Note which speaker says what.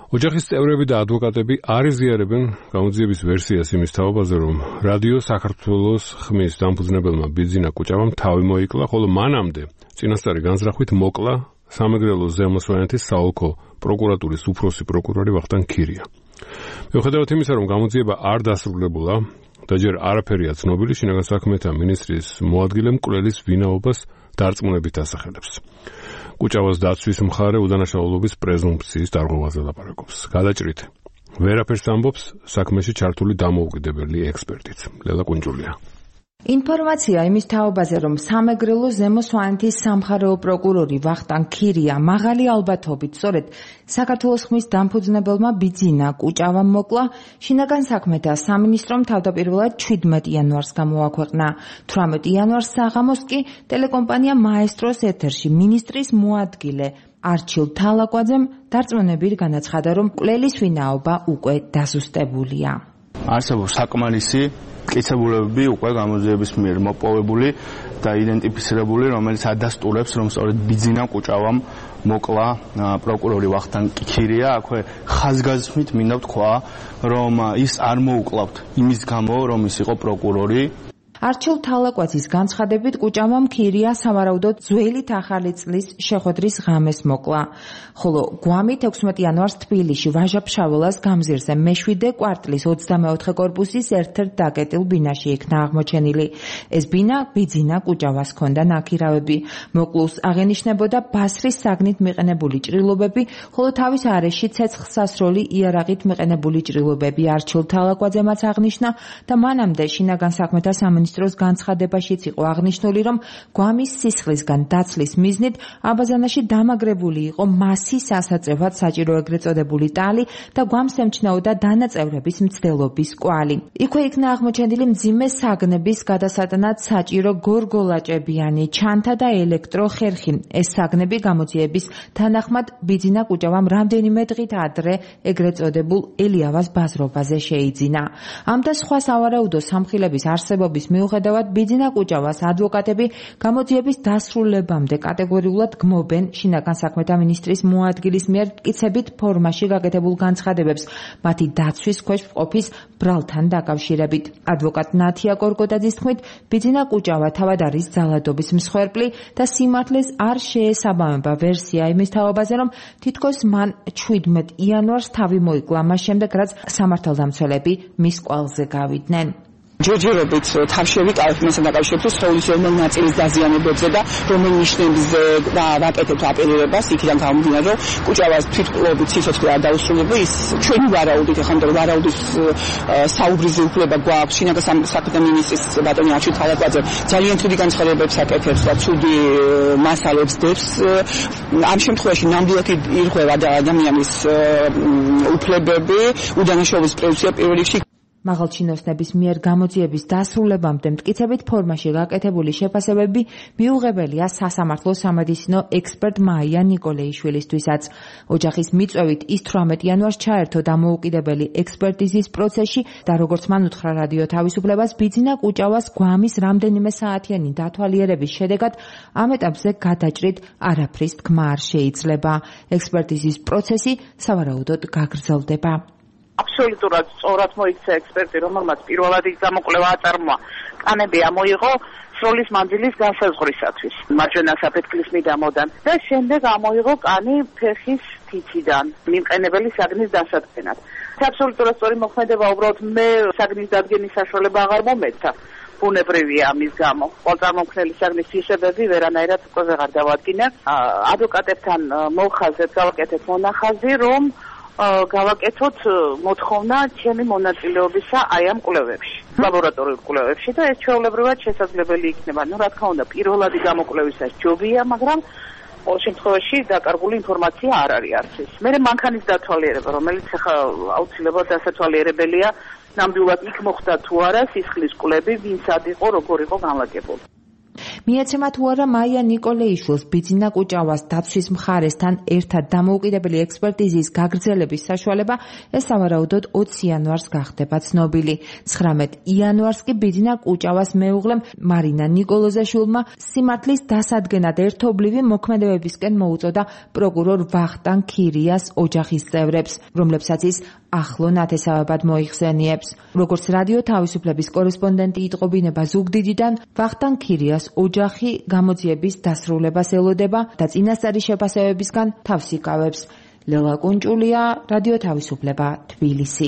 Speaker 1: ოჯახის წევრები და ადვოკატები არ იზიარებენ გამოძიების ვერსიას იმის თაობაზე, რომ რადიო საქართველოს ხმის დამფუძნებელმა ბიძინა კუჭავამ თავი მოიკლა, ხოლო მანამდე წინასწარი განზრახვით მოკლა სამეგრელოს ზემო სვანეთის საოლქო პროკურატურის უფროსი პროკურორი ვახტანგ ქირია. მიუხედავად იმისა, რომ გამოძიება არ დასრულებულა და ჯერ არაფერია ცნობილი, შინაგან საქმეთა მინისტრის მოადგილე მკვლელის ვინაობას დარწმუნებით ასახელებს. კუჭავას დაცვის მხარე უდანაშაულობის პრეზუმფციის დარღვევაზე ლაპარაკობს. გადაჭრით ვერაფერს ამბობს საქმეში ჩართული დამოუკიდებელი ექსპერტიც. ლელა კუნჯულია.
Speaker 2: ინფორმაცია იმის თაობაზე, რომ სამეგრელოს ზემო სვანეთის სამხარეო პროკურორი ვახტანგ ქირია მაღალი ალბათობით სწორედ საქართველოს ხმის დამფუძნებელმა ბიძინა კუჭავამ მოკლა, შინაგან საქმეთა სამინისტრომ თავდაპირველად 17 იანვარს გამოაქვეყნა. 18 იანვარს საღამოს კი ტელეკომპანია მაესტროს ეთერში მინისტრის მოადგილე არჩილ თალაკვაძემ დარწმუნებით განაცხადა, რომ მკვლელის ვინაობა უკვე დაზუსტებულია.
Speaker 3: არსებობს საკმარისი მტკიცებულებები უკვე გამოძიების მიერ მოპოვებული და იდენტიფიცირებული, რომელიც ადასტურებს, რომ სწორედ ბიძინა კუჭავამ მოკლა პროკურორი ვახტანგ ქირია. აქვე ხაზგასმით მინდა ვთქვა, რომ ის არ მოუკლავთ იმის გამო, რომ ის იყო პროკურორი.
Speaker 2: არჩილ თალაკვაძის განცხადებით კუჭავამ ქირია სავარაუდოდ ძველით ახალი წლის შეხვედრის ღამეს მოკლა, ხოლო გვამით 16 იანვარს თბილისში ვაჟა-ფშაველას გამზირზე მე-7 კვარტლის 24 კორპუსის ერთ-ერთ დაკეტილ ბინაში იქნა აღმოჩენილი. ეს ბინა ბიძინა კუჭავას ჰქონდა ნაქირავები. მოკლულს აღენიშნებოდა ბასრის საგნით მიყენებული ჭრილობები, ხოლო თავის არეში ცეცხლსასროლი იარაღით მიყენებული ჭრილობები. არჩილ თალაკვაძემაც აღნიშნა და მანამდე შინაგან საქმეთა სამინისტროს განცხადებაშიც იყო აღნიშნული, რომ გვამის სისხლისგან დაცლის მიზნით აბაზანაში დამაგრებული იყო მასის ასაწევად საჭირო ეგრეთ წოდებული ტალი და გვამს ემჩნეოდა დანაწევრების მცდელობის კვალი. იქვე იქნა აღმოჩენილი მძიმე საგნების გადასატანად საჭირო გორგოლაჭებიანი ჩანთა და ელექტროხერხი. ეს საგნები გამოძიების თანახმად ბიძინა კუჭავამ რამდენიმე დღით ადრე ეგრეთ წოდებულ ელიავას ბაზრობაზე შეიძინა. ამ და სხვა სავარაუდო სამხილების არსებობის მიუხედავად ბიძინა კუჭავას ადვოკატები გამოძიების დასრულებამდე კატეგორიულად გმობენ შინაგან საქმეთა მინისტრის მოადგილის მიერ მტკიცებით ფორმაში გაკეთებულ განცხადებებს მათი დაცვის ქვეშ ყოფის ბრალთან დაკავშირებით. ადვოკატ ნათია კორკოტაძის თქმით, ბიძინა კუჭავა თავად არის ძალადობის მსხვერპლი და სიმართლეს არ შეესაბამება ვერსია იმის თაობაზე, რომ თითქოს მან 17 იანვარს თავი მოიკლა, მას შემდეგ რაც სამართალდამცველები მის კვალზე გავიდნენ.
Speaker 4: ჯერჯერობით თავში ვიკავებთ მასთან დაკავშირებით სხეულის რომელ ნაწილის დაზიანებებზე და რომელ ნიშნებზე ვაკეთებთ აპელირებას, იქიდან გამომდინარე, რომ კუჭავას თვითმკვლელობით სიცოცხლე არ დაუსრულებია. ის ჩვენი ვარაუდით, ახლა მეტყვი ვარაუდის საუბრის უფლება გვაქვს. შინაგან საქმეთა მინისტრის ბატონი არჩილ თალაკვაძე ძალიან ცუდი განცხადებებს აკეთებს და ცუდი მასალებს დებს. ამ შემთხვევაში ნამდვილად ირღვევა ადამიანის უფლებები, უდანაშაულობის პრეზუმფცია პირველ რიგში.
Speaker 2: მაღალჩინოსნების მიერ გამოძიების დასრულებამდე მტკიცებით ფორმაში გაკეთებული შეფასებები მიუღებელია სასამართლო სამედიცინო ექსპერტ მაია ნიკოლეიშვილისთვისაც. ოჯახის მიწვევით ის 18 იანვარს ჩაერთო დამოუკიდებელი ექსპერტიზის პროცესში და როგორც მან უთხრა რადიო თავისუფლებას, ბიძინა კუჭავას გვამის რამდენიმე საათიანი დათვალიერების შედეგად ამ ეტაპზე გადაჭრით არაფრის თქმა არ შეიძლება. ექსპერტიზის პროცესი სავარაუდოდ გაგრძელდება.
Speaker 5: აბსოლუტურად სწორად მოიქცა ექსპერტი, რომელმაც პირველად ის გამოკვლევა აწარმოა. კანები ამოიღო სროლის მანძილის განსაზღვრისათვის, მარჯვენა საფეთქლის მიდამოდან და შემდეგ ამოიღო კანი ფეხის თითიდან, მიმყენებელი საგნის დასადგენად. აბსოლუტურად სწორი მოქმედება, უბრალოდ მე საგნის დადგენის საშუალება აღარ მომეცა. ბუნებრივია ამის გამო. ყველწარმომქმნელი საგნის თვისებები ვერანაირად უკვე ვეღარ დავადგინე. ადვოკატებთან მოხაზეთ გავაკეთეთ მონახაზი, რომ გავაკეთოთ მოთხოვნა ჩემი მონაწილეობისა აი ამ კვლევებში, ლაბორატორიულ კვლევებში და ეს ჩვეულებრივად შესაძლებელი იქნება. რა თქმა უნდა, პირველადი გამოკვლევისას ჯობია, მაგრამ ყოველ შემთხვევაში დაკარგული ინფორმაცია არ არის არც ის. მე მანქანის დათვალიერება, რომელიც ახლა აუცილებლად დასათვალიერებელია, ნამდვილად იქ მოხდა თუ არა სისხლის კვლები, ვინ სად იყო, როგორ იყო განლაგებული.
Speaker 2: მიეცემა თუ არა მაია ნიკოლეიშვილს ბიძინა კუჭავას დაცვის მხარესთან ერთად დამოუკიდებელი ექსპერტიზის გაგრძელების საშუალება, ეს სავარაუდოდ 20 იანვარს გახდება ცნობილი. 19 იანვარს კი ბიძინა კუჭავას მეუღლემ მარინა ნიკოლოზაშვილმა სიმართლის დასადგენად ერთობლივი მოქმედებებისკენ მოუწოდა პროკურორ ვახტანგ ქირიას ოჯახის წევრებს, რომლებსაც ის ახლო ნათესავებად მოიხსენიებს. როგორც რადიო თავისუფლების კორესპონდენტი იტყობინება ზუგდიდიდან, ვახტანგ ქირიას ოჯახი გამოძიების დასრულებას ელოდება და წინასწარი შეფასებებისგან თავს იკავებს. ლელა კუნჭულია, რადიო თავისუფლება, თბილისი.